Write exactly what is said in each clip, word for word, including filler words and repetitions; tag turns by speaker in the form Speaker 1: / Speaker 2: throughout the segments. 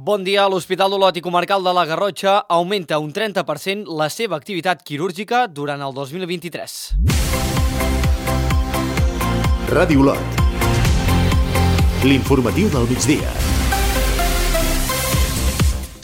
Speaker 1: Bon dia. L'Hospital d'Olot i Comarcal de la Garrotxa augmenta un trenta per cent la seva activitat quirúrgica durant el dos mil vint-i-tres.
Speaker 2: Ràdio Olot. L'informatiu del migdia.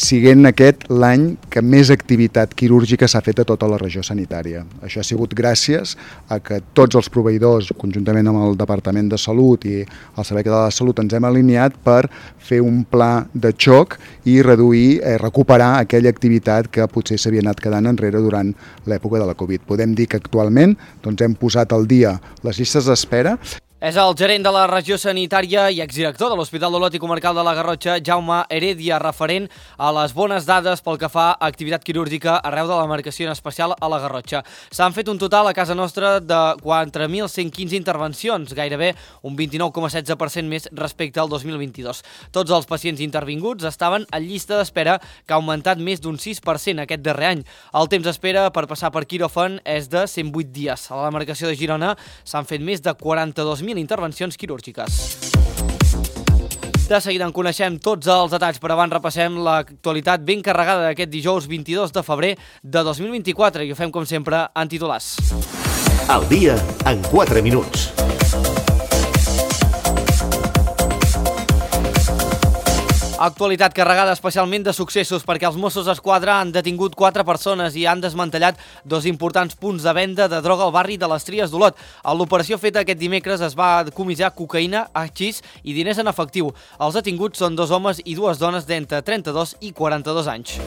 Speaker 3: Siguent aquest l'any que més activitat quirúrgica s'ha fet a tota la regió sanitària. Això ha sigut gràcies a que tots els proveïdors, conjuntament amb el Departament de Salut i el Servei Català de Salut, ens hem alineat per fer un pla de xoc i reduir, eh, recuperar aquella activitat que potser s'havia anat quedant enrere durant l'època de la Covid. Podem dir que actualment doncs, hem posat al dia les llistes d'espera.
Speaker 1: És el gerent de la regió sanitària i exdirector de l'Hospital d'Olot i Comarcal de la Garrotxa, Jaume Heredia, referent a les bones dades pel que fa a activitat quirúrgica arreu de la demarcació, en especial a la Garrotxa. S'han fet un total a casa nostra de quatre mil cent quinze intervencions, gairebé un vint-i-nou coma setze per cent més respecte al dos mil vint-i-dos. Tots els pacients intervinguts estaven en llista d'espera, que ha augmentat més d'un sis per cent aquest darrer any. El temps d'espera per passar per quiròfan és de cent vuit dies. A la demarcació de Girona s'han fet més de quaranta-dos mil intervencions quirúrgiques. De seguida en coneixem tots els detalls, però abans repassem l'actualitat ben carregada d'aquest dijous vint-i-dos de febrer de dos mil vint-i-quatre i ho fem com sempre en titulars.
Speaker 2: El dia en quatre minuts.
Speaker 1: Actualitat carregada especialment de successos perquè els Mossos d'Esquadra han detingut quatre persones i han desmantellat dos importants punts de venda de droga al barri de les Tries d'Olot. A l'operació feta aquest dimecres es va comissar cocaïna, hachís i diners en efectiu. Els detinguts són dos homes i dues dones d'entre trenta-dos i quaranta-dos anys.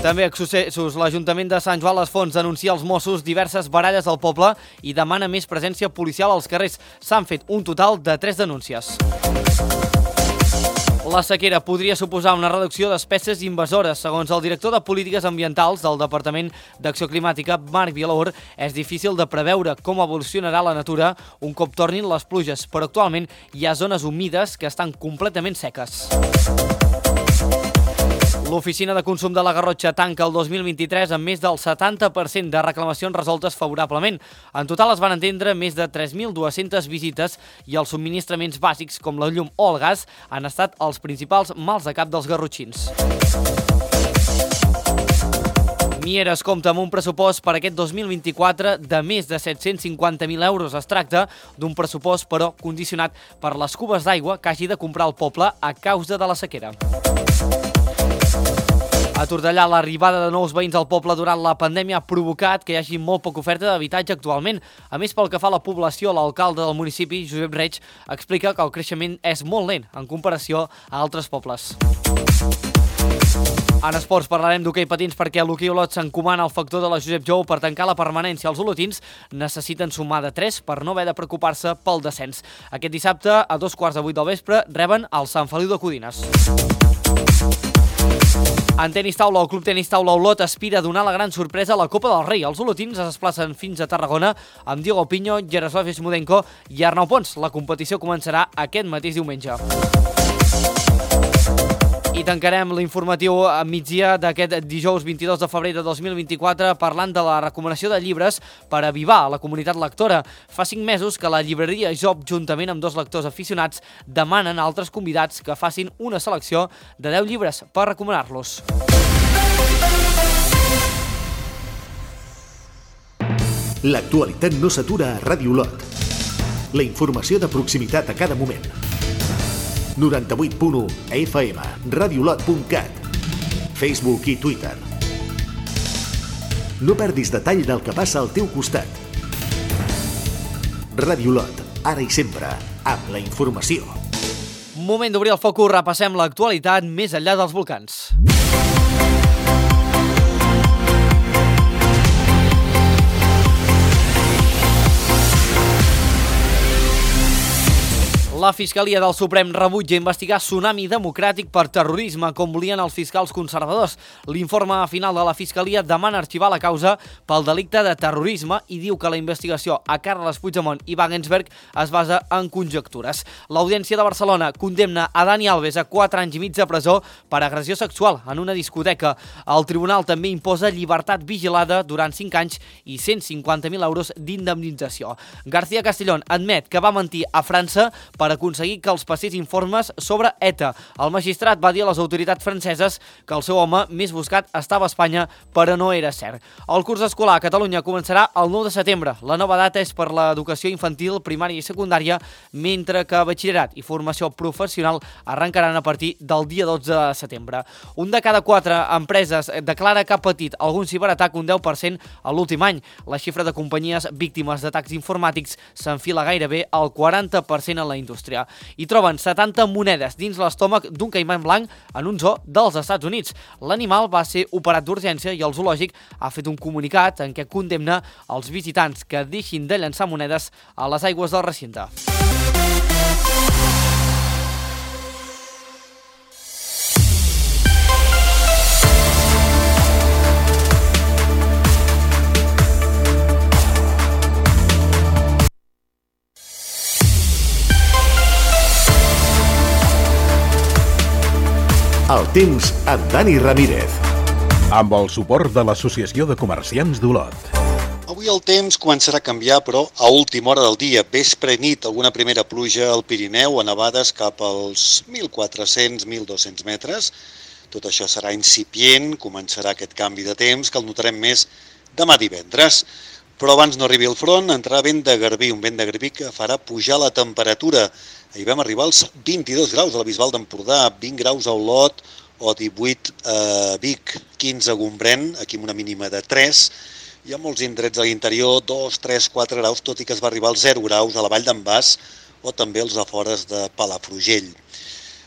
Speaker 1: També a successos, l'Ajuntament de Sant Joan les Fonts denuncia als Mossos diverses baralles al poble i demana més presència policial als carrers. S'han fet un total de tres denúncies. La sequera podria suposar una reducció d'espècies invasores. Segons el director de Polítiques Ambientals del Departament d'Acció Climàtica, Marc Vilaur, és difícil de preveure com evolucionarà la natura un cop tornin les pluges, però actualment hi ha zones humides que estan completament seques. L'Oficina de Consum de la Garrotxa tanca el dos mil vint-i-tres amb més del setanta per cent de reclamacions resoltes favorablement. En total es van entendre més de tres mil dues-centes visites i els subministraments bàsics com la llum o el gas han estat els principals mals de cap dels garrotxins. Mieres compta amb un pressupost per aquest dos mil vint-i-quatre de més de set-cents cinquanta mil euros. Es tracta d'un pressupost, però, condicionat per les cubes d'aigua que hagi de comprar el poble a causa de la sequera. A Tortellà, l'arribada de nous veïns al poble durant la pandèmia ha provocat que hi hagi molt poca oferta d'habitatge actualment. A més, pel que fa a la població, l'alcalde del municipi, Josep Reig, explica que el creixement és molt lent en comparació a altres pobles. En esports parlarem d'hoquei patins perquè l'Hoquei Olot s'encomana al factor de la Josep Jou per tancar la permanència. Els olotins necessiten sumar de tres per no haver de preocupar-se pel descens. Aquest dissabte, a dos quarts de vuit del vespre, reben el Sant Feliu de Codines. En tenis taula, el Club Tenis Taula Olot aspira a donar la gran sorpresa a la Copa del Rei. Els olotins es desplacen fins a Tarragona amb Diego Piño, Jaroslav Smodenko i Arnau Pons. La competició començarà aquest mateix diumenge. I tancarem l'informatiu a migdia d'aquest dijous vint-i-dos de febrer de dos mil vint-i-quatre parlant de la recomanació de llibres per avivar la comunitat lectora. Fa cinc mesos que la llibreria Job, juntament amb dos lectors aficionats, demanen a altres convidats que facin una selecció de deu llibres per recomanar-los.
Speaker 2: L'actualitat no s'atura a Ràdio Olot. La informació de proximitat a cada moment. noranta-vuit punt u F M, radiolot punt cat, Facebook i Twitter. No perdis detall del que passa al teu costat. Ràdio Olot, ara i sempre, amb la informació.
Speaker 1: Moment d'obrir el focus, repassem l'actualitat més enllà dels volcans. La Fiscalia del Suprem rebutja investigar Tsunami Democràtic per terrorisme, com volien els fiscals conservadors. L'informe final de la Fiscalia demana arxivar la causa pel delicte de terrorisme i diu que la investigació a Carles Puigdemont i Wagensberg es basa en conjectures. L'Audiència de Barcelona condemna a Dani Alves a quatre anys i mig de presó per agressió sexual en una discoteca. El tribunal també imposa llibertat vigilada durant cinc anys i cent cinquanta mil euros d'indemnització. García Castellón admet que va mentir a França per per aconseguir que els passés informes sobre ETA. El magistrat va dir a les autoritats franceses que el seu home més buscat estava a Espanya, però no era cert. El curs escolar a Catalunya començarà el nou de setembre. La nova data és per l'educació infantil, primària i secundària, mentre que batxillerat i formació professional arrencaran a partir del dia dotze de setembre. Un de cada quatre empreses declara que ha patit algun ciberatac, un deu per cent a l'últim any. La xifra de companyies víctimes d'atacs informàtics s'enfila gairebé al quaranta per cent en la indústria. I troben setanta monedes dins l'estómac d'un caiman blanc en un zoo dels Estats Units. L'animal va ser operat d'urgència i el zoològic ha fet un comunicat en què condemna els visitants que deixin de llançar monedes a les aigües del recinte.
Speaker 2: El temps amb Dani Ramírez.
Speaker 4: Amb el suport de l'Associació de Comerciants d'Olot.
Speaker 5: Avui el temps començarà a canviar, però a última hora del dia, vespre i nit, alguna primera pluja al Pirineu, a nevades cap als mil quatre-cents a mil dos-cents metres. Tot això serà incipient, començarà aquest canvi de temps, que el notarem més demà divendres. Però abans no arribi el front, entrarà vent de garbí, un vent de garbí que farà pujar la temperatura. Ahir vam arribar als vint-i-dos graus a la Bisbal d'Empordà, vint graus a Olot o divuit a Vic, quinze a Gombrèn, aquí amb una mínima de tres. Hi ha molts indrets a l'interior, dos, tres, quatre graus, tot i que es va arribar als zero graus a la Vall d'en Bas o també als afores de Palafrugell.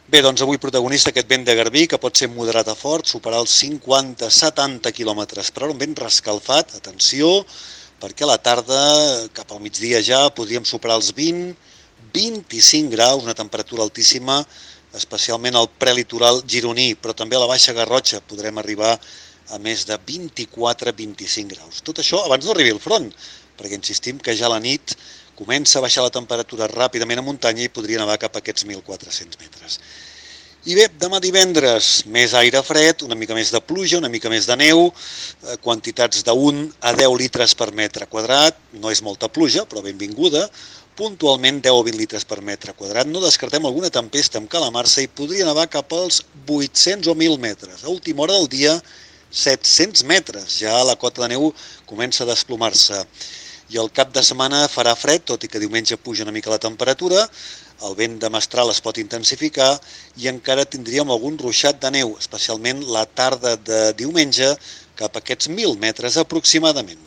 Speaker 5: Bé, doncs avui protagonista aquest vent de garbí, que pot ser moderat a fort, superar els cinquanta a setanta quilòmetres per hora, un vent rescalfat, atenció, perquè a la tarda, cap al migdia ja, podríem superar els vint, vint-i-cinc graus, una temperatura altíssima, especialment al prelitoral gironí, però també a la Baixa Garrotxa podrem arribar a més de vint-i-quatre a vint-i-cinc graus. Tot això abans no arribi el front, perquè insistim que ja a la nit comença a baixar la temperatura ràpidament a muntanya i podria nevar cap a aquests mil quatre-cents metres. I bé, demà divendres, més aire fred, una mica més de pluja, una mica més de neu, quantitats d'un a deu litres per metre quadrat, no és molta pluja, però benvinguda, puntualment deu o vint litres per metre quadrat. No descartem alguna tempesta amb calamarsa i podria nevar cap als vuit-cents o mil metres. A última hora del dia, set-cents metres. Ja la cota de neu comença a desplomar-se. I el cap de setmana farà fred, tot i que diumenge puja una mica la temperatura, el vent de mestral es pot intensificar i encara tindríem algun ruixat de neu, especialment la tarda de diumenge, cap a aquests mil metres aproximadament.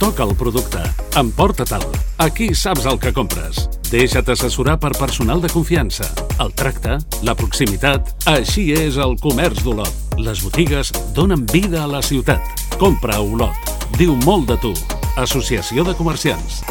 Speaker 6: Toca el producte. Emporta-te'l. Aquí saps el que compres. Deixa't assessorar per personal de confiança. El tracte, la proximitat, així és el comerç d'Olot. Les botigues donen vida a la ciutat. Compra a Olot. Diu molt de tu. Associació de Comerciants.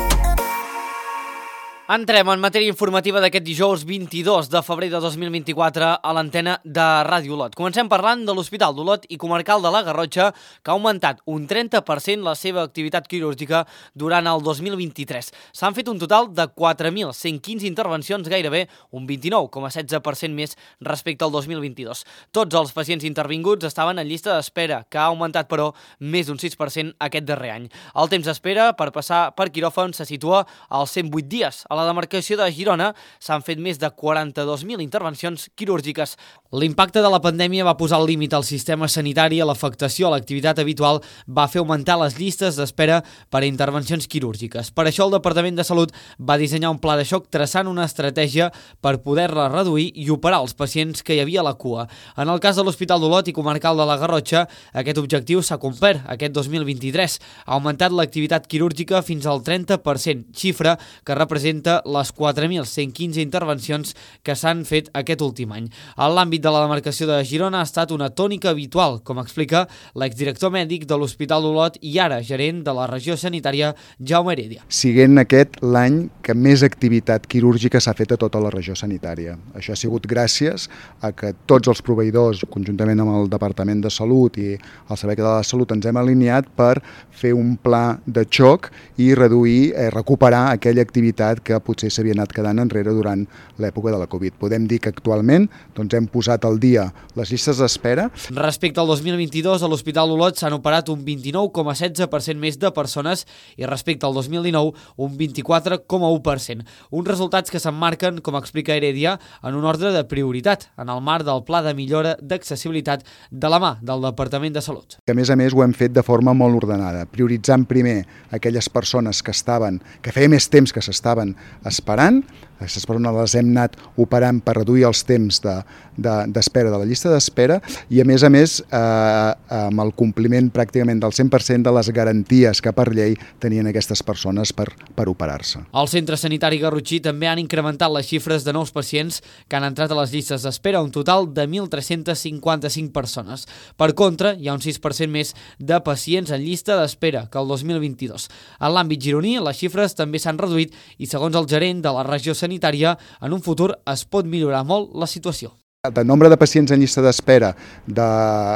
Speaker 1: Entrem en matèria informativa d'aquest dijous vint-i-dos de febrer de dos mil vint-i-quatre a l'antena de Ràdio Olot. Comencem parlant de l'Hospital d'Olot i Comarcal de la Garrotxa, que ha augmentat un trenta per cent la seva activitat quirúrgica durant el dos mil vint-i-tres. S'han fet un total de quatre mil cent quinze intervencions, gairebé un vint-i-nou coma setze per cent més respecte al dos mil vint-i-dos. Tots els pacients intervinguts estaven en llista d'espera, que ha augmentat, però, més d'un sis per cent aquest darrer any. El temps d'espera per passar per quiròfan se situa als cent vuit dies. A la demarcació de Girona s'han fet més de quaranta-dos mil intervencions quirúrgiques. L'impacte de la pandèmia va posar el límit al sistema sanitari i l'afectació a l'activitat habitual va fer augmentar les llistes d'espera per a intervencions quirúrgiques. Per això el Departament de Salut va dissenyar un pla de xoc traçant una estratègia per poder-la reduir i operar els pacients que hi havia a la cua. En el cas de l'Hospital d'Olot i Comarcal de la Garrotxa, aquest objectiu s'ha complert aquest dos mil vint-i-tres. Ha augmentat l'activitat quirúrgica fins al trenta per cent, xifra que representa les quatre mil cent quinze intervencions que s'han fet aquest últim any. En l'àmbit de la demarcació de Girona ha estat una tònica habitual, com explica l'exdirector mèdic de l'Hospital d'Olot i ara gerent de la regió sanitària, Jaume Heredia.
Speaker 3: Siguent aquest l'any que que més activitat quirúrgica s'ha fet a tota la regió sanitària. Això ha sigut gràcies a que tots els proveïdors, conjuntament amb el Departament de Salut i el Servei Català de Salut, ens hem alineat per fer un pla de xoc i reduir, eh, recuperar aquella activitat que potser s'havia anat quedant enrere durant l'època de la Covid. Podem dir que actualment doncs, hem posat al dia les llistes d'espera.
Speaker 1: Respecte al dos mil vint-i-dos, a l'Hospital Olot s'han operat un vint-i-nou coma setze per cent més de persones i respecte al dos mil dinou un vint-i-quatre coma u per cent. Uns resultats que s'emmarquen, com explica Heredia, en un ordre de prioritat, en el marc del Pla de Millora d'Accessibilitat de la mà del Departament de Salut.
Speaker 3: A més a més ho hem fet de forma molt ordenada, prioritzant primer aquelles persones que estaven, que feia més temps que s'estaven esperant. Aquestes persones les hem anat operant per reduir els temps de, de, d'espera de la llista d'espera i a més a més eh, amb el compliment pràcticament del cent per cent de les garanties que per llei tenien aquestes persones per, per operar-se.
Speaker 1: Al centre sanitari garrotxí també han incrementat les xifres de nous pacients que han entrat a les llistes d'espera, un total de mil tres-cents cinquanta-cinc persones. Per contra, hi ha un sis per cent més de pacients en llista d'espera que el dos mil vint-i-dos. En l'àmbit gironí, les xifres també s'han reduït i segons el gerent de la regió sanitària, sanitària, en un futur es pot millorar molt la situació.
Speaker 3: El nombre de pacients en llista d'espera de,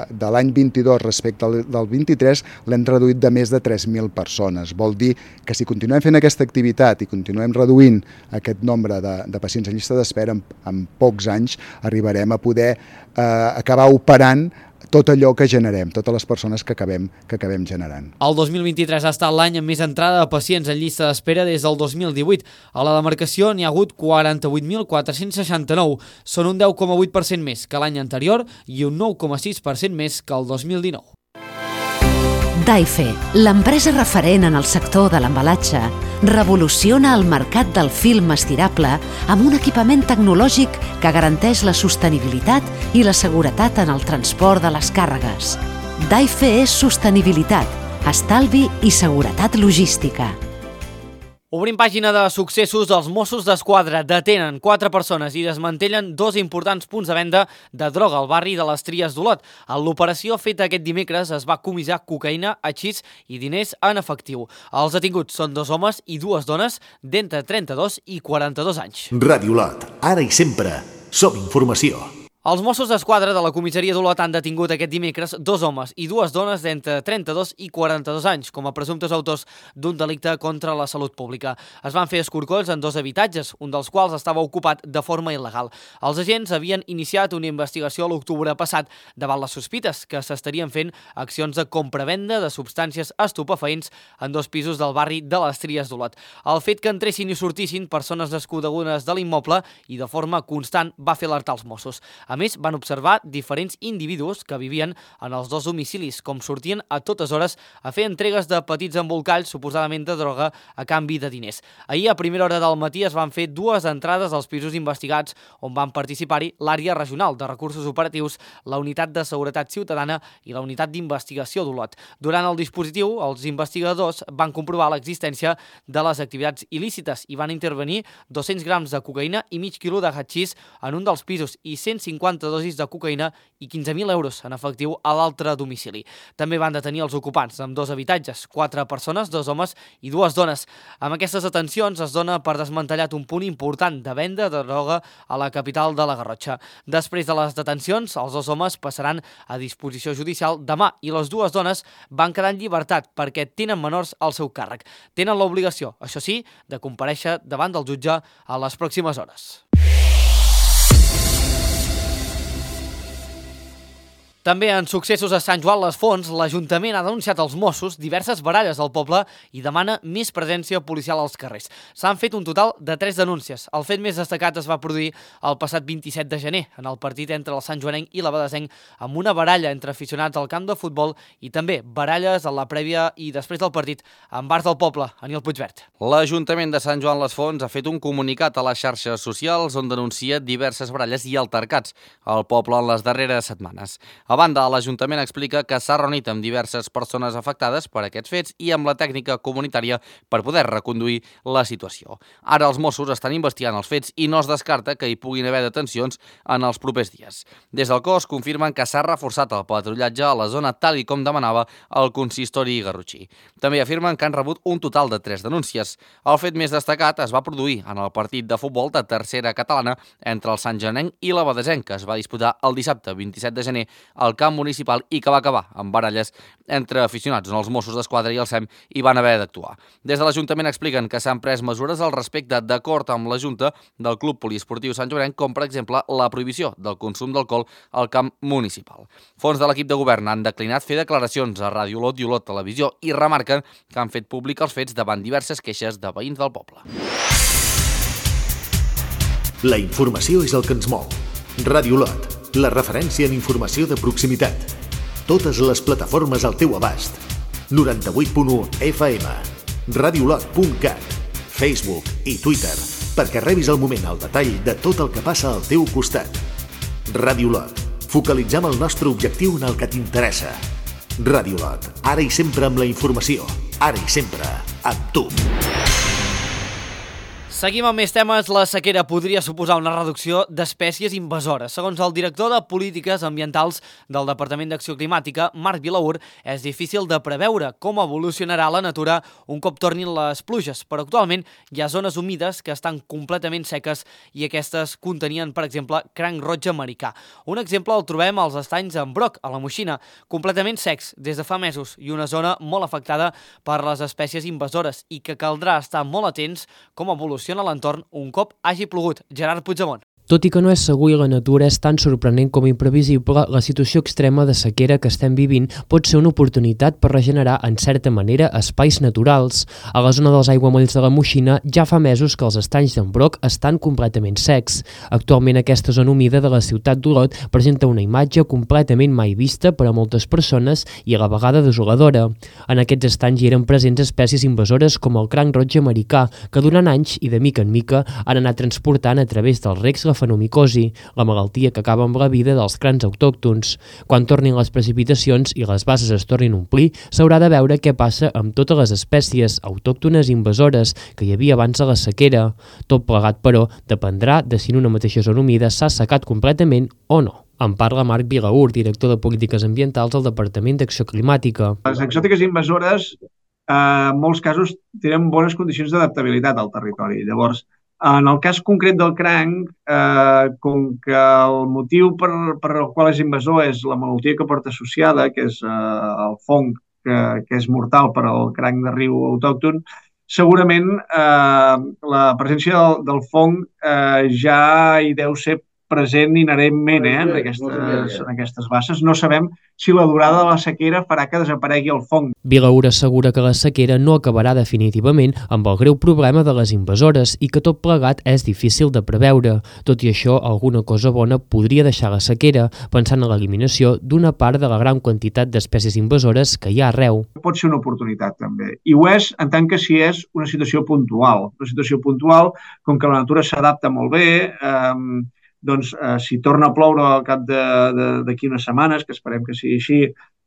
Speaker 3: de l'any vint-i-dos respecte al del vint-i-tres l'hem reduït de més de tres mil persones. Vol dir que si continuem fent aquesta activitat i continuem reduint aquest nombre de, de pacients en llista d'espera, en, en pocs anys arribarem a poder eh, acabar operant tot allò que generem, totes les persones que acabem, que acabem generant.
Speaker 1: El dos mil vint-i-tres ha estat l'any amb més entrada de pacients en llista d'espera des del dos mil divuit. A la demarcació n'hi ha hagut quaranta-vuit mil quatre-cents seixanta-nou, són un deu coma vuit per cent més que l'any anterior i un nou coma sis per cent més que el dos mil dinou.
Speaker 7: Daife, l'empresa referent en el sector de l'embalatge, revoluciona el mercat del film estirable amb un equipament tecnològic que garanteix la sostenibilitat i la seguretat en el transport de les càrregues. Daife és sostenibilitat, estalvi i seguretat logística.
Speaker 1: Obrim pàgina de successos. Els Mossos d'Esquadra detenen quatre persones i desmantellen dos importants punts de venda de droga al barri de les Tries d'Olot. En l'operació feta aquest dimecres es va comissar cocaïna, hachís i diners en efectiu. Els detinguts són dos homes i dues dones d'entre trenta-dos i quaranta-dos anys.
Speaker 2: Ràdio Olot, ara i sempre, som informació.
Speaker 1: Els Mossos d'Esquadra de la comissaria d'Olot han detingut aquest dimecres dos homes i dues dones d'entre trenta-dos i quaranta-dos anys com a presumptes autors d'un delicte contra la salut pública. Es van fer escorcolls en dos habitatges, un dels quals estava ocupat de forma il·legal. Els agents havien iniciat una investigació a l'octubre passat davant les sospites que s'estarien fent accions de compra-venda de substàncies estupefaents en dos pisos del barri de les Tries d'Olot. El fet que entressin i sortissin persones desconegudes de l'immoble i de forma constant va fer alertar els Mossos. A més, van observar diferents individus que vivien en els dos domicilis, com sortien a totes hores a fer entregues de petits embolcalls, suposadament de droga, a canvi de diners. Ahir, a primera hora del matí, es van fer dues entrades als pisos investigats on van participar-hi l'àrea regional de recursos operatius, la unitat de seguretat ciutadana i la unitat d'investigació d'Olot. Durant el dispositiu, els investigadors van comprovar l'existència de les activitats il·lícites i van intervenir dos-cents grams de cocaïna i mig quilo de hachís en un dels pisos i cent cinquanta dosis de cocaïna i quinze mil euros en efectiu a l'altre domicili. També van detenir els ocupants amb dos habitatges, quatre persones, dos homes i dues dones. Amb aquestes detencions es dona per desmantellat un punt important de venda de droga a la capital de la Garrotxa. Després de les detencions, els dos homes passaran a disposició judicial demà i les dues dones van quedar en llibertat perquè tenen menors al seu càrrec. Tenen l'obligació, això sí, de comparèixer davant del jutge a les pròximes hores. També en successos a Sant Joan les Fonts, l'Ajuntament ha denunciat als Mossos diverses baralles al poble i demana més presència policial als carrers. S'han fet un total de tres denúncies. El fet més destacat es va produir el passat vint-i-set de gener, en el partit entre el Sant Joanenc i l'Abadesenc, amb una baralla entre aficionats al camp de futbol i també baralles a la prèvia i després del partit en bars del poble, Aniol Puigvert.
Speaker 8: L'Ajuntament de Sant Joan les Fonts ha fet un comunicat a les xarxes socials on denuncia diverses baralles i altercats al poble en les darreres setmanes. A banda, l'Ajuntament explica que s'ha reunit amb diverses persones afectades per aquests fets i amb la tècnica comunitària per poder reconduir la situació. Ara els Mossos estan investigant els fets i no es descarta que hi puguin haver detencions en els propers dies. Des del cos confirmen que s'ha reforçat el patrullatge a la zona tal i com demanava el consistori garrotxí. També afirmen que han rebut un total de tres denúncies. El fet més destacat es va produir en el partit de futbol de tercera catalana entre el Sant Janenc i l'Abadesenc, que es va disputar el dissabte vint-i-set de gener al camp municipal i que va acabar amb baralles entre aficionats on els Mossos d'Esquadra i el S E M hi van haver d'actuar. Des de l'Ajuntament expliquen que s'han pres mesures al respecte d'acord amb la Junta del Club Poliesportiu Sant Joanenc, com per exemple la prohibició del consum d'alcohol al camp municipal. Fons de l'equip de govern han declinat fer declaracions a Ràdio Olot i Olot Televisió i remarquen que han fet públic els fets davant diverses queixes de veïns del poble.
Speaker 2: La informació és el que ens mou. Ràdio Olot, la referència en informació de proximitat. Totes les plataformes al teu abast. noranta-vuit punt u F M, radiolot punt cat, Facebook i Twitter, perquè rebis al moment el detall de tot el que passa al teu costat. Ràdio Olot, focalitzem el nostre objectiu en el que t'interessa. Ràdio Olot, ara i sempre amb la informació, ara i sempre amb tu.
Speaker 1: Seguim amb més temes. La sequera podria suposar una reducció d'espècies invasores. Segons el director de Polítiques Ambientals del Departament d'Acció Climàtica, Marc Vilaur, és difícil de preveure com evolucionarà la natura un cop tornin les pluges, però actualment hi ha zones humides que estan completament seques i aquestes contenien, per exemple, cranc roig americà. Un exemple el trobem als estanys en Broc, a la Moixina, completament secs des de fa mesos i una zona molt afectada per les espècies invasores i que caldrà estar molt atents com evoluciona a l'entorn un cop hagi plogut. Gerard Puigdemont.
Speaker 9: Tot i que no és segur i la natura és tan sorprenent com imprevisible, la situació extrema de sequera que estem vivint pot ser una oportunitat per regenerar, en certa manera, espais naturals. A la zona dels aiguamolls de la Moixina ja fa mesos que els estanys d'en Broc estan completament secs. Actualment aquesta zona humida de la ciutat d'Olot presenta una imatge completament mai vista per a moltes persones i a la vegada desoladora. En aquests estanys hi eren presents espècies invasores com el cranc roig americà, que durant anys i de mica en mica han anat transportant a través dels recs la fenomicosi, la malaltia que acaba amb la vida dels crancs autòctons. Quan tornin les precipitacions i les basses es tornin a omplir, s'haurà de veure què passa amb totes les espècies autòctones invasores que hi havia abans de la sequera. Tot plegat, però, dependrà de si en una mateixa zona humida s'ha assecat completament o no. En parla Marc Vilaur, director de Polítiques Ambientals al Departament d'Acció Climàtica.
Speaker 10: Les exòtiques invasores, eh, en molts casos, tenen bones condicions d'adaptabilitat al territori. Llavors, en el cas concret del cranc, eh, com que el motiu per, per el qual és invasor és la malaltia que porta associada, que és eh, el fong, que, que és mortal per al cranc de riu autòcton, segurament eh, la presència del, del fong eh, ja hi deu ser present inherentment eh, en, aquestes, en aquestes basses. No sabem si la durada de la sequera farà que desaparegui el fong.
Speaker 9: Vilaur assegura que la sequera no acabarà definitivament amb el greu problema de les invasores i que tot plegat és difícil de preveure. Tot i això, alguna cosa bona podria deixar la sequera, pensant en l'eliminació d'una part de la gran quantitat d'espècies invasores que hi ha arreu.
Speaker 10: Pot ser una oportunitat, també. I ho és en tant que si és una situació puntual. Una situació puntual, com que la natura s'adapta molt bé, eh, doncs eh, si torna a ploure al cap d'aquí unes setmanes, que esperem que sigui així,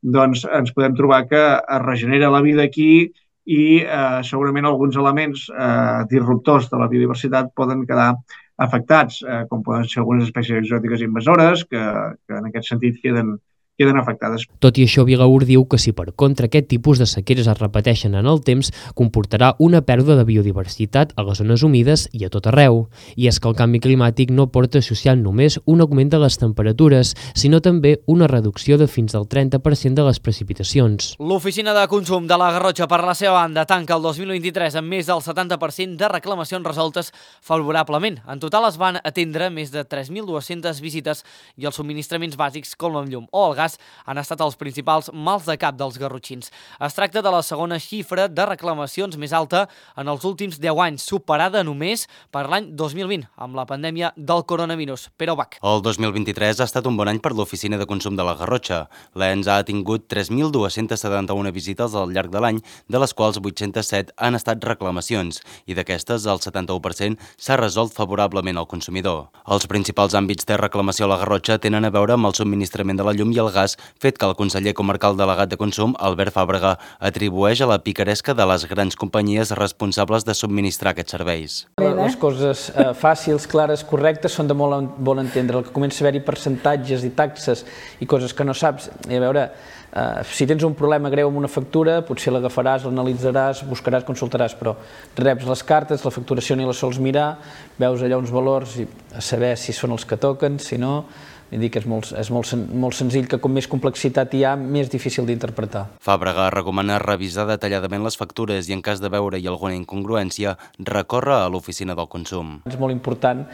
Speaker 10: doncs ens podem trobar que es regenera la vida aquí i eh, segurament alguns elements eh, disruptors de la biodiversitat poden quedar afectats, eh, com poden ser algunes espècies exòtiques invasores que, que en aquest sentit queden queden afectades.
Speaker 9: Tot i això, Vilaur diu que si per contra aquest tipus de sequeres es repeteixen en el temps, comportarà una pèrdua de biodiversitat a les zones humides i a tot arreu. I és que el canvi climàtic no porta associant només un augment de les temperatures, sinó també una reducció de fins al trenta per cent de les precipitacions.
Speaker 1: L'Oficina de Consum de la Garrotxa, per la seva banda, tanca el dos mil vint-i-tres amb més del setanta per cent de reclamacions resoltes favorablement. En total es van atendre més de tres mil dues-centes visites i els subministraments bàsics com el llum o el gas han estat els principals mals de cap dels garrotxins. Es tracta de la segona xifra de reclamacions més alta en els últims deu anys, superada només per l'any dos mil vint, amb la pandèmia del coronavirus. Pere Bach.
Speaker 11: El dos mil vint-i-tres ha estat un bon any per l'Oficina de Consum de la Garrotxa. L'E N S ha tingut tres mil dues-centes setanta-una visites al llarg de l'any, de les quals vuit-centes set han estat reclamacions, i d'aquestes el setanta-u per cent s'ha resolt favorablement al consumidor. Els principals àmbits de reclamació a la Garrotxa tenen a veure amb el subministrament de la llum i el gas, fet que el conseller comarcal delegat de Consum, Albert Fàbrega, atribueix a la picaresca de les grans companyies responsables de subministrar aquests serveis.
Speaker 12: Les coses eh, fàcils, clares, correctes, són de molt bon entendre. El que comença a haver-hi percentatges i taxes i coses que no saps, i a veure, Uh, si tens un problema greu amb una factura, potser l'agafaràs, l'analitzaràs, buscaràs, consultaràs, però reps les cartes, la facturació ni la sols mirar, veus allà uns valors i a saber si són els que toquen, si no, vull dir que és molt, és molt, molt senzill, que com més complexitat hi ha, més difícil d'interpretar.
Speaker 11: Fàbrega recomana revisar detalladament les factures i en cas de veure-hi alguna incongruència, recórrer a l'oficina del consum.
Speaker 12: És molt important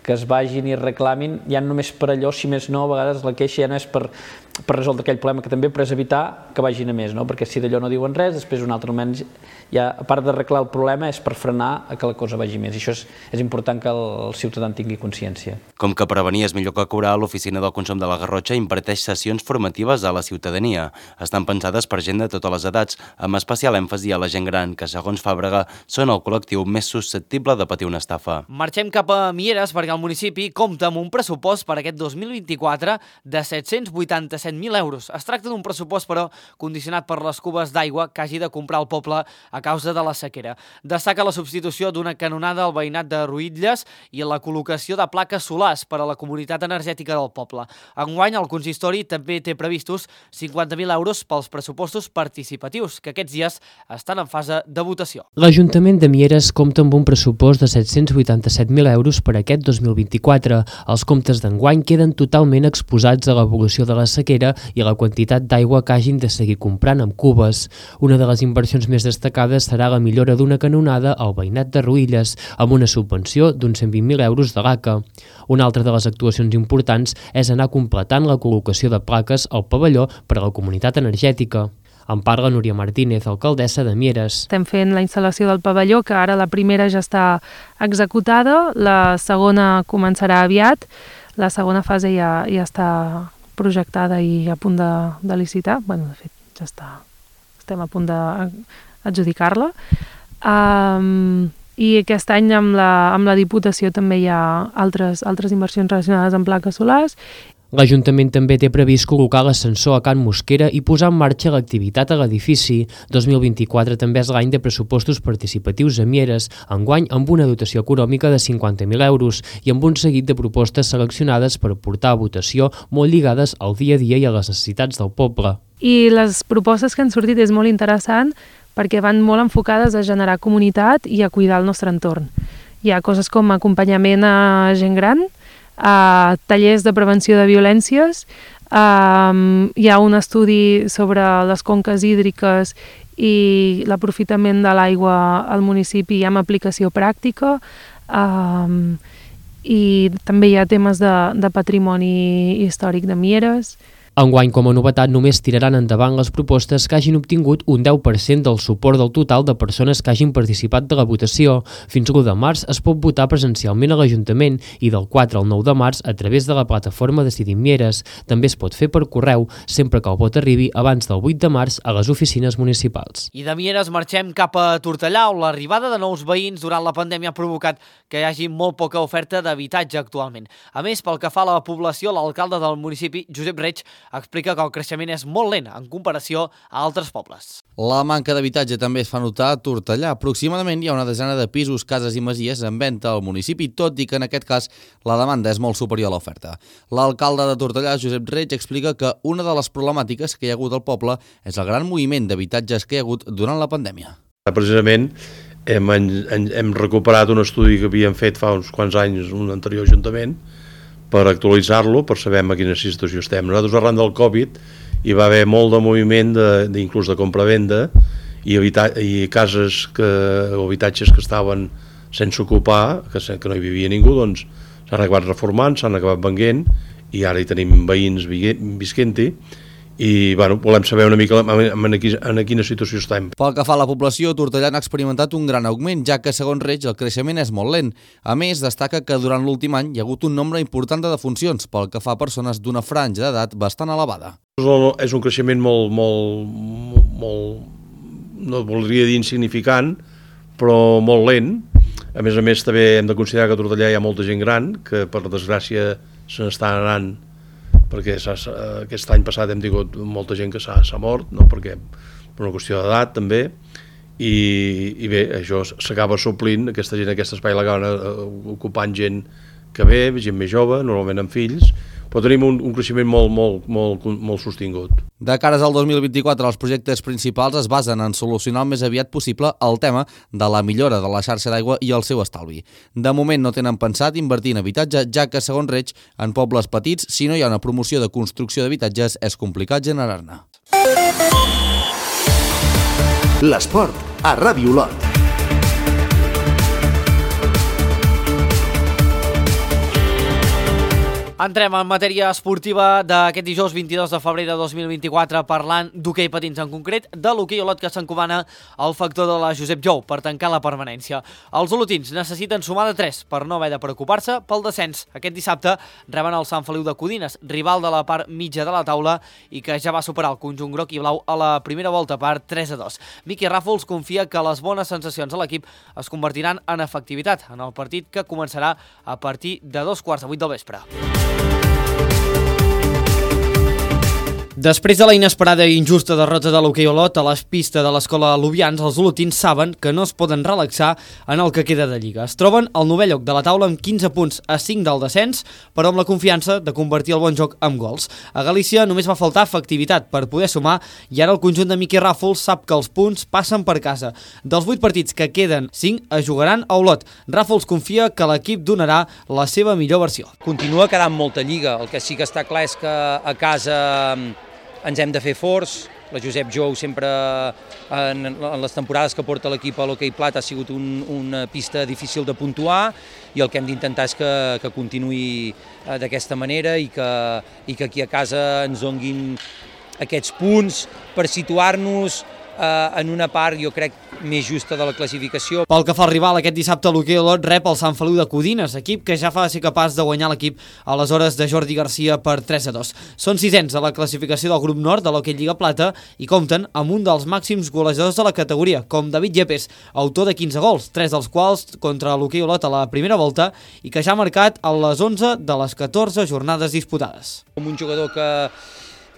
Speaker 12: que es vagin i reclamin, ja no només per allò, si més no, a vegades la queixa ja no és per, per resoldre aquell problema, que també per evitar que vagin a més, no? Perquè si d'allò no diuen res, després un altre moment, ja, a part d'arreglar el problema, és per frenar a que la cosa vagi més. I això és, és important que el, el ciutadà en tingui consciència.
Speaker 11: Com que prevenir és millor que curar, l'Oficina del Consum de la Garrotxa imparteix sessions formatives a la ciutadania. Estan pensades per gent de totes les edats, amb especial èmfasi a la gent gran, que, segons Fàbrega, són el col·lectiu més susceptible de patir una estafa.
Speaker 1: Marxem cap a Mieres perquè el municipi compta amb un pressupost per aquest dos mil vint-i-quatre de set-cents vuitanta-set mil euros. Es tracta d'un pressupost, però, condicionat per les cubes d'aigua que hagi de comprar el poble a causa de la sequera. Destaca la substitució d'una canonada al veïnat de Ruïtlles i la col·locació de plaques solars per a la comunitat energètica del poble. Enguany, el consistori també té previstos cinquanta mil euros pels pressupostos participatius, que aquests dies estan en fase de votació.
Speaker 9: L'Ajuntament de Mieres compta amb un pressupost de set-cents vuitanta-set mil euros per aquest dos mil vint-i-quatre. Els comptes d'enguany queden totalment exposats a l'evolució de la sequera i a la quantitat d'aigua que hagin de seguir comprant amb cubes. Una de les inversions més destacades serà la millora d'una canonada al veïnat de Ruïlles, amb una subvenció d'uns cent vint mil euros de l'A C A. Una altra de les actuacions importants és anar completant la col·locació de plaques al pavelló per a la comunitat energètica. En parla Núria Martínez, alcaldessa de Mieres.
Speaker 13: Estem fent la instal·lació del pavelló, que ara la primera ja està executada, la segona començarà aviat, la segona fase ja, ja està projectada i a punt de, de licitar. Bueno, de fet, ja està, estem a punt d'adjudicar-la. Um, I aquest any amb la, amb la Diputació també hi ha altres, altres inversions relacionades amb plaques solars.
Speaker 9: L'Ajuntament també té previst col·locar l'ascensor a Can Mosquera i posar en marxa l'activitat a l'edifici. dos mil vint-i-quatre també és l'any de pressupostos participatius a Mieres, enguany amb una dotació econòmica de cinquanta mil euros i amb un seguit de propostes seleccionades per portar a votació molt lligades al dia a dia i a les necessitats del poble.
Speaker 13: I les propostes que han sortit és molt interessant perquè van molt enfocades a generar comunitat i a cuidar el nostre entorn. Hi ha coses com acompanyament a gent gran, a tallers de prevenció de violències, um, hi ha un estudi sobre les conques hídriques i l'aprofitament de l'aigua al municipi amb aplicació pràctica, um, i també hi ha temes de, de patrimoni històric de Mieres.
Speaker 9: Enguany, com a novetat, només tiraran endavant les propostes que hagin obtingut un deu per cent del suport del total de persones que hagin participat de la votació. Fins l'u de març es pot votar presencialment a l'Ajuntament i del quatre al nou de març a través de la plataforma Decidim Mieres. També es pot fer per correu, sempre que el vot arribi abans del vuit de març a les oficines municipals.
Speaker 1: I de Mieres marxem cap a Tortellà, on l'arribada de nous veïns durant la pandèmia ha provocat que hi hagi molt poca oferta d'habitatge actualment. A més, pel que fa a la població, l'alcalde del municipi, Josep Reig, explica que el creixement és molt lent en comparació a altres pobles.
Speaker 8: La manca d'habitatge també es fa notar a Tortellà. Aproximadament hi ha una desena de pisos, cases i masies en venda al municipi, tot i que en aquest cas la demanda és molt superior a l'oferta. L'alcalde de Tortellà, Josep Reig, explica que una de les problemàtiques que hi ha hagut al poble és el gran moviment d'habitatges que hi ha hagut durant la pandèmia.
Speaker 14: Precisament hem, hem recuperat un estudi que havíem fet fa uns quants anys un anterior ajuntament per actualitzar-lo, per saber en quina situació estem. Nosaltres, arran del Covid, hi va haver molt de moviment, de, de, inclús de compra-venda, i, i cases que, o habitatges que estaven sense ocupar, que, que no hi vivia ningú, doncs s'han acabat reformant, s'han acabat venguent, i ara hi tenim veïns visquent-hi, i bueno, volem saber una mica en, en quina situació estem.
Speaker 8: Pel que fa a la població, Tortellà ha experimentat un gran augment, ja que, segons Reig, el creixement és molt lent. A més, destaca que durant l'últim any hi ha hagut un nombre important de defuncions, pel que fa a persones d'una franja d'edat bastant elevada.
Speaker 14: És un creixement molt, molt, molt, no voldria dir insignificant, però molt lent. A més a més, també hem de considerar que a Tortellà hi ha molta gent gran, que per desgràcia se n'està anant perquè aquest any passat hem tingut molta gent que s'ha mort, no? Perquè per una qüestió d'edat també, i, i bé, això s'acaba suplint, aquesta gent, aquest espai l'acaba ocupant gent que ve, gent més jove, normalment amb fills, però tenim un, un creixement molt, molt, molt, molt sostingut.
Speaker 8: De cares al dos mil vint-i-quatre, els projectes principals es basen en solucionar el més aviat possible el tema de la millora de la xarxa d'aigua i el seu estalvi. De moment no tenen pensat invertir en habitatge, ja que, segons Reig, en pobles petits, si no hi ha una promoció de construcció d'habitatges, és complicat generar-ne.
Speaker 2: L'esport a Ràdio Olot.
Speaker 1: Entrem en matèria esportiva d'aquest dijous vint-i-dos de febrer de dos mil vint-i-quatre parlant d'hoquei patins, en concret de l'hoquei Olot, que s'encomana al factor de la Josep Jou per tancar la permanència. Els olotins necessiten sumar de tres per no haver de preocupar-se pel descens. Aquest dissabte reben el Sant Feliu de Codines, rival de la part mitja de la taula i que ja va superar el conjunt groc i blau a la primera volta per tres a dos. Miqui Ràfols confia que les bones sensacions a l'equip es convertiran en efectivitat en el partit que començarà a partir de dos quarts de vuit del vespre. Després de la inesperada i injusta derrota de l'hoquei Olot a les pistes de l'escola Lubians, els olotins saben que no es poden relaxar en el que queda de Lliga. Es troben al novè lloc de la taula amb quinze punts a cinc del descens, però amb la confiança de convertir el bon joc en gols. A Galícia només va faltar efectivitat per poder sumar i ara el conjunt de Miqui Ràfols sap que els punts passen per casa. Dels vuit partits que queden, cinc es jugaran a Olot. Ràfols confia que l'equip donarà la seva millor versió.
Speaker 15: Continua quedant molta Lliga, el que sí que està clar és que a casa ens hem de fer forts. La Josep Jou sempre, en, en les temporades que porta l'equip a l'hoquei plat, ha sigut un, una pista difícil de puntuar i el que hem d'intentar és que, que continuï d'aquesta manera i que, i que aquí a casa ens donguin aquests punts per situar-nos eh, en una part, jo crec, més justa de la classificació.
Speaker 1: Pel que fa al rival, aquest dissabte l'hoquei Olot rep el Sant Feliu de Codines, equip que ja fa ser capaç de guanyar l'equip a les hores de Jordi Garcia per tres a dos. Són sisens a la classificació del grup nord de l'hoquei Lliga Plata i compten amb un dels màxims golejadors de la categoria, com David Yepes, autor de quinze gols, tres dels quals contra l'hoquei Olot a la primera volta i que ja ha marcat a les onze de les catorze jornades disputades.
Speaker 15: Com un jugador que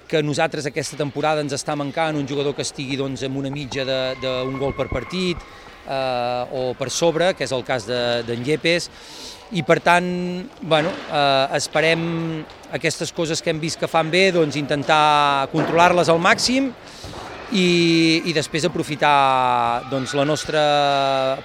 Speaker 15: que nosaltres aquesta temporada ens està mancant, un jugador que estigui doncs, amb una mitja d'un gol per partit eh, o per sobre, que és el cas d'en de, Yepes, i per tant, bueno, eh, esperem aquestes coses que hem vist que fan bé, doncs intentar controlar-les al màxim i, i després aprofitar doncs, la nostra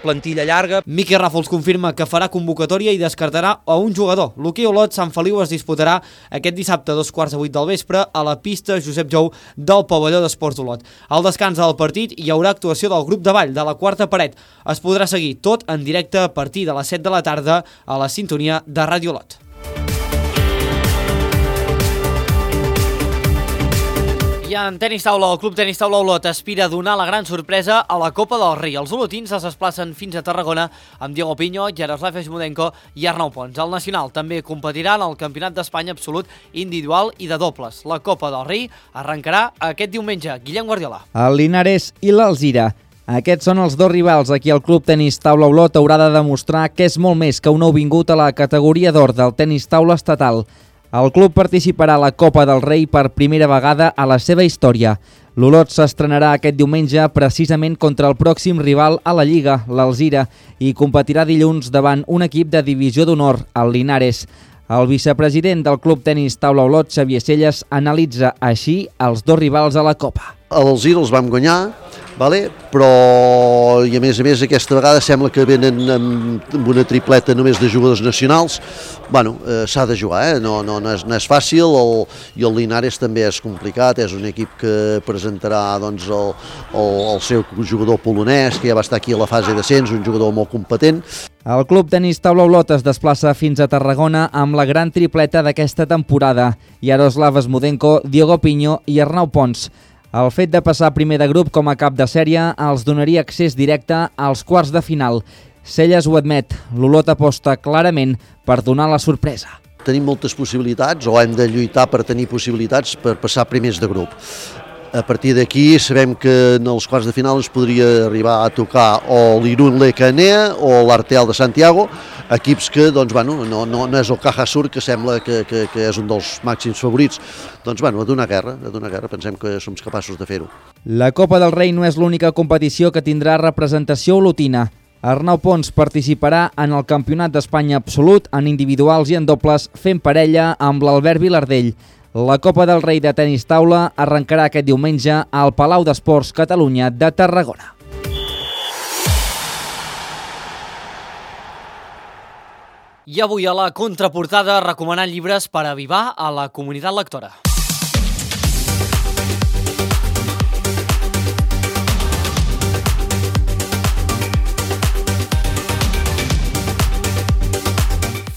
Speaker 15: plantilla llarga.
Speaker 1: Miqui Ràfols confirma que farà convocatòria i descartarà a un jugador. L'hoquei Olot Sant Feliu es disputarà aquest dissabte a dos quarts de vuit del vespre a la pista Josep Jou del pavelló d'Esports Olot. Al descans del partit hi haurà actuació del grup de ball de la quarta paret. Es podrà seguir tot en directe a partir de les set de la tarda a la sintonia de Ràdio Olot. I en tenis taula, el Club Tenis Taula Olot aspira a donar la gran sorpresa a la Copa del Rei. Els olotins es desplacen fins a Tarragona amb Diego Piño, Jaroslav Esmudenko i Arnau Pons. El nacional també competirà en el Campionat d'Espanya absolut individual i de dobles. La Copa del Rei arrencarà aquest diumenge. Guillem Guardiola.
Speaker 16: El Linares i l'Alzira. Aquests són els dos rivals a qui el Club Tenis Taula Olot haurà de demostrar que és molt més que un nouvingut a la categoria d'or del tenis taula estatal. El club participarà a la Copa del Rei per primera vegada a la seva història. L'Olot s'estrenarà aquest diumenge precisament contra el pròxim rival a la Lliga, l'Alzira, i competirà dilluns davant un equip de divisió d'honor, el Linares. El vicepresident del Club Tenis Taula Olot, Xavier Celles, analitza així els dos rivals a la Copa.
Speaker 17: A l'Alzira els vam guanyar, vale? Però i a més a més aquesta vegada sembla que venen amb una tripleta només de jugadors nacionals. Bueno, eh, s'ha de jugar, eh? no, no, no, és, no és fàcil, el, i el Linares també és complicat, és un equip que presentarà doncs, el, el, el seu jugador polonès, que ja va estar aquí a la fase d'ascens, un jugador molt competent.
Speaker 16: El Club Tenis Taula Olot es desplaça fins a Tarragona amb la gran tripleta d'aquesta temporada, Jaroslav Esmudenko, Diego Piño i Arnau Pons. El fet de passar primer de grup com a cap de sèrie els donaria accés directe als quarts de final. Celles ho admet, l'Olot aposta clarament per donar la sorpresa.
Speaker 17: Tenim moltes possibilitats, o hem de lluitar per tenir possibilitats per passar primers de grup. A partir d'aquí sabem que en els quarts de final ens podria arribar a tocar o l'Irun Lecanea o l'Arteal de Santiago, equips que doncs, bueno, no, no, no és el Caja Sur, que sembla que, que, que és un dels màxims favorits. Doncs bueno, a donar guerra, a donar guerra, pensem que som capaços de fer-ho.
Speaker 16: La Copa del Rei no és l'única competició que tindrà representació olotina. Arnau Pons participarà en el Campionat d'Espanya absolut en individuals i en dobles fent parella amb l'Albert Vilardell. La Copa del Rei de tenis taula arrencarà aquest diumenge al Palau d'Esports Catalunya de Tarragona.
Speaker 1: I avui a la contraportada recomanant llibres per avivar a la comunitat lectora.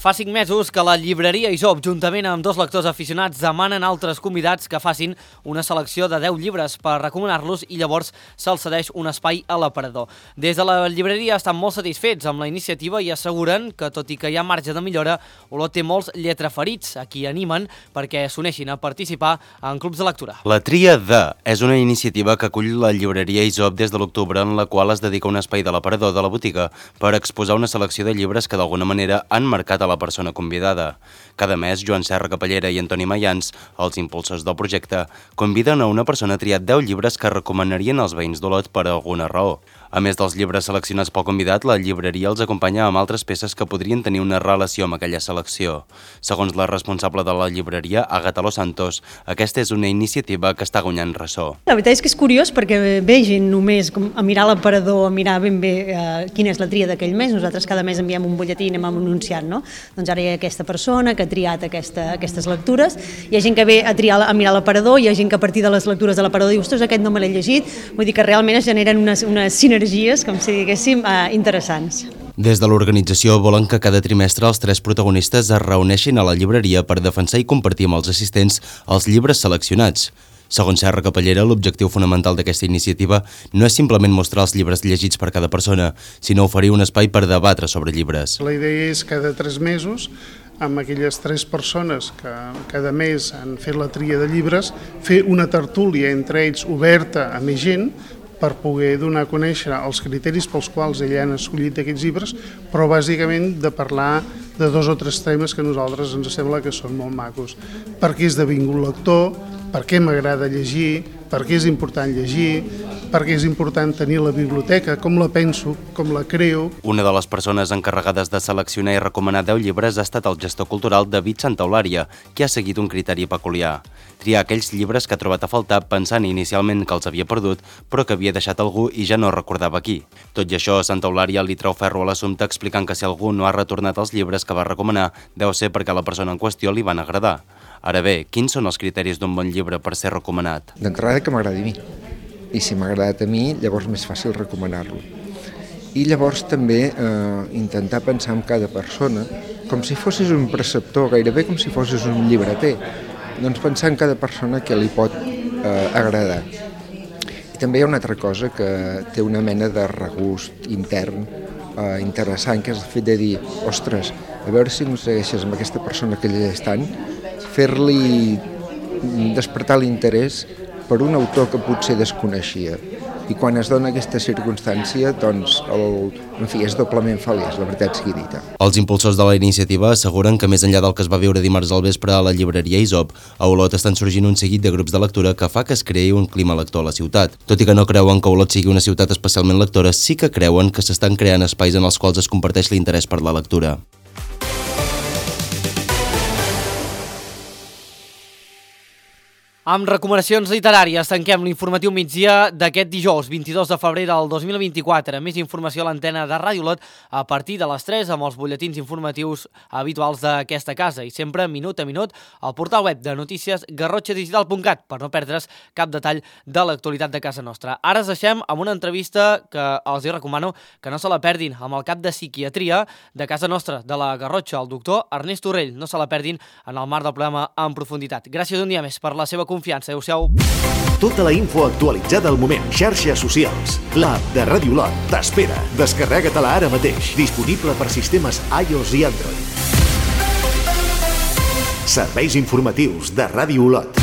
Speaker 1: Fa cinc mesos que la llibreria Isop, juntament amb dos lectors aficionats, demanen a altres convidats que facin una selecció de deu llibres per recomanar-los i llavors se'ls cedeix un espai a l'aparador. Des de la llibreria estan molt satisfets amb la iniciativa i asseguren que, tot i que hi ha marge de millora, Olot té molts lletraferits a qui animen perquè s'uneixin a participar en clubs de lectura.
Speaker 11: La Tria de és una iniciativa que acull la llibreria Isop des de l'octubre, en la qual es dedica un espai de l'aparador de la botiga per exposar una selecció de llibres que d'alguna manera han marcat a la persona convidada. Cada mes, Joan Serra Capellera i Antoni Mayans, els impulsors del projecte, conviden a una persona a triar deu llibres que recomanarien als veïns d'Olot per alguna raó. A més dels llibres seleccionats pel convidat, la llibreria els acompanya amb altres peces que podrien tenir una relació amb aquella selecció. Segons la responsable de la llibreria, Àgata Los Santos, aquesta és una iniciativa que està guanyant ressò.
Speaker 18: La veritat és que és curiós perquè ve gent només a mirar l'aparador, a mirar ben bé eh, quina és la tria d'aquell mes. Nosaltres cada mes enviem un butlletí i anem anunciant, no? Doncs ara hi ha aquesta persona que ha triat aquesta, aquestes lectures, hi ha gent que ve a, triar, a mirar l'aparador, hi ha gent que a partir de les lectures de l'aparador diu, ostres, aquest no me l'he llegit, vull dir que realment es generen unes, unes sinergies, com si diguéssim, eh, interessants.
Speaker 11: Des de l'organització volen que cada trimestre els tres protagonistes es reuneixin a la llibreria per defensar i compartir amb els assistents els llibres seleccionats. Segons Serra Capellera, l'objectiu fonamental d'aquesta iniciativa no és simplement mostrar els llibres llegits per cada persona, sinó oferir un espai per debatre sobre llibres.
Speaker 19: La idea és cada tres mesos, amb aquelles tres persones que cada mes han fet la tria de llibres, fer una tertúlia entre ells oberta a més gent per poder donar a conèixer els criteris pels quals ells han escollit aquests llibres, però bàsicament de parlar de dos o tres temes que a nosaltres ens sembla que són molt macos. Per què he esdevingut lector, per què m'agrada llegir, per què és important llegir, per què és important tenir la biblioteca, com la penso, com la creo.
Speaker 11: Una de les persones encarregades de seleccionar i recomanar deu llibres ha estat el gestor cultural David Santaolària, que ha seguit un criteri peculiar. Triar aquells llibres que ha trobat a faltar pensant inicialment que els havia perdut, però que havia deixat algú i ja no recordava qui. Tot i això, Santaolària li treu ferro a l'assumpte explicant que si algú no ha retornat els llibres que va recomanar, deu ser perquè a la persona en qüestió li van agradar. Ara bé, quins són els criteris d'un bon llibre per ser recomanat?
Speaker 20: D'entrada que m'agradi a mi, i si m'ha agradat a mi, llavors més fàcil recomanar-lo. I llavors també eh, intentar pensar en cada persona com si fossis un preceptor, gairebé com si fossis un llibreter. Doncs pensar en cada persona que li pot eh, agradar. I també hi ha una altra cosa que té una mena de regust intern eh, interessant, que és el fet de dir, ostres, a veure si aconsegueixes amb aquesta persona que llegeix tant, fer-li despertar l'interès per un autor que potser desconeixia. I quan es dona aquesta circumstància, doncs, el, en fi, és doblement feliç, la veritat sigui dita.
Speaker 11: Els impulsors de la iniciativa asseguren que més enllà del que es va viure dimarts al vespre a la llibreria Isop, a Olot estan sorgint un seguit de grups de lectura que fa que es creï un clima lector a la ciutat. Tot i que no creuen que Olot sigui una ciutat especialment lectora, sí que creuen que s'estan creant espais en els quals es comparteix l'interès per la lectura.
Speaker 1: Amb recomanacions literàries tanquem l'informatiu migdia d'aquest dijous, vint-i-dos de febrer del dos mil vint-i-quatre. Més informació a l'antena de Ràdio Olot a partir de les tres amb els butlletins informatius habituals d'aquesta casa i sempre minut a minut al portal web de notícies garrotxa digital punt cat per no perdre's cap detall de l'actualitat de casa nostra. Ara es deixem amb una entrevista que els hi recomano que no se la perdin amb el cap de psiquiatria de casa nostra, de la Garrotxa, el doctor Ernest Torrell. No se la perdin en el marc del programa en profunditat. Gràcies un dia més per la seva confiança. Confiança, adéu-siau.
Speaker 2: Tota la info actualitzada al moment. Xarxes socials. L'app de Ràdio Olot t'espera. Descarrega-te-la ara mateix. Disponible per sistemes iOS i Android. Serveis informatius de Ràdio Olot.